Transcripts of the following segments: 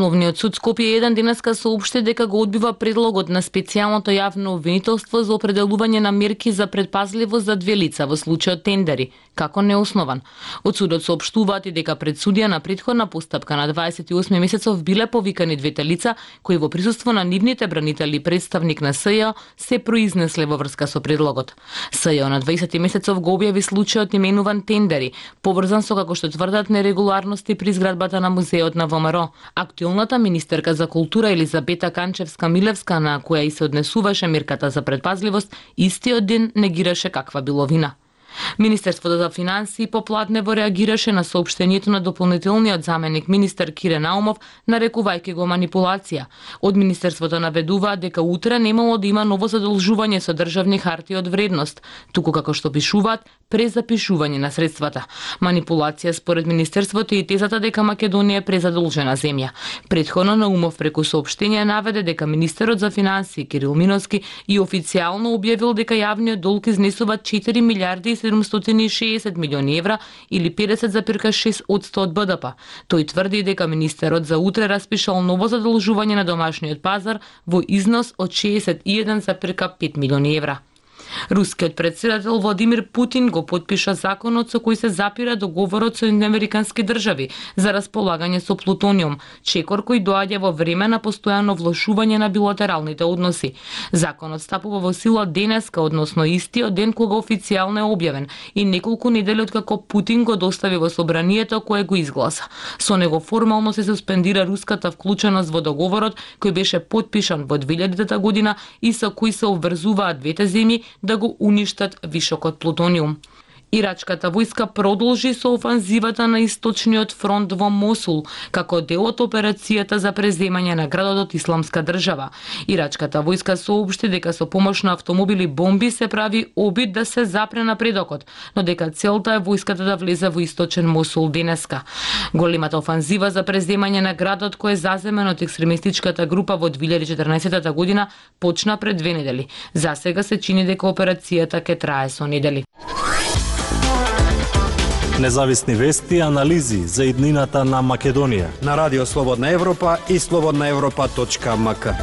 Основниот суд Скопје 1 денеска соопшти дека го одбива предлогот на специјалното јавно обвинителство за определување на мерки за предпазливост за две лица во случајот тендери, како неоснован. Од судот соопштуваат и дека пред судија на претходна постапка на 28 месецов биле повикани двете лица кои во присуство на нивните бранители и представник на СЈО се произнесле во врска со предлогот. СЈО на 20 месецов го објави случајот именуван тендери, поврзан со, како што тврдат, нерегуларности при зградбата на музеот на ВМРО. Актуелната министерка за култура Елизабета Канчевска-Милевска, на која и се однесуваше мерката за предпазливост, истиот ден негираше каква било вина. Министерството за финансии поплатнево реагираше на соопштението на дополнителниот заменик министер Кире Наумов, нарекувајќи го манипулација. Од министерството наведуваат дека утре немало да има ново задолжување со државни хартии од вредност, туку како што пишуваат, презапишување на средствата. Манипулација според министерството и тезата дека Македонија е презадолжена земја. Претходно Наумов преку соопштение наведе дека министерот за финансии Кирил Миновски и официјално објавил дека јавниот долг изнесува 4 милиарди 760 милиони евра или 50,6% од БДП. Тој тврди дека министерот за утре распишал ново задолжување на домашниот пазар во износ од 61,5 милиони евра. Рускиот председател Владимир Путин го потпиша законот со кој се запира договорот со американски држави за располагање со плутониум, чекор кој доаѓа во време на постојано влошување на билатералните односи. Законот стапува во сила денеска, односно истиот ден кога официјално е објавен и неколку недели откако Путин го достави во собранието кое го изгласа. Со него формално се суспендира руската вклученост во договорот кој беше потпишан во 2000 година и со кој се обврзуваат двете земји да го уништат вишокот плутониум. Ирачката војска продолжи со офанзивата на источниот фронт во Мосул, како дел од операцијата за преземање на градот од Исламска држава. Ирачката војска соопшти дека со помош на автомобили бомби се прави обид да се запре напредокот, но дека целта е војската да влезе во источен Мосул денеска. Големата офанзива за преземање на градот кој е заземен од екстремистичката група во 2014 година почна пред 2 недели. Засега се чини дека операцијата ќе трае со недели. Независни вести и анализи за иднината на Македонија на Радио Слободна Европа и slobodnaevropa.mk.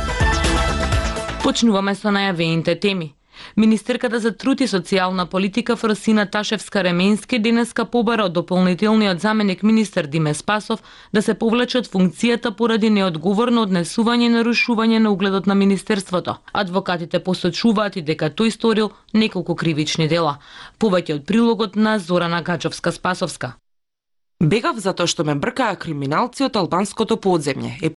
Почнуваме со најавените теми. Министерката за труд и социјална политика Фросина Ташевска-Ременски денеска побара од дополнителниот заменик министер Диме Спасов да се повлече од функцијата поради неодговорно однесување и нарушување на угледот на министерството. Адвокатите посочуваат и дека тој сторил неколку кривични дела. Повеќе од прилогот на Зорана Гаџовска-Спасовска. Бегав затоа што ме бркаа криминалци од албанското подземје,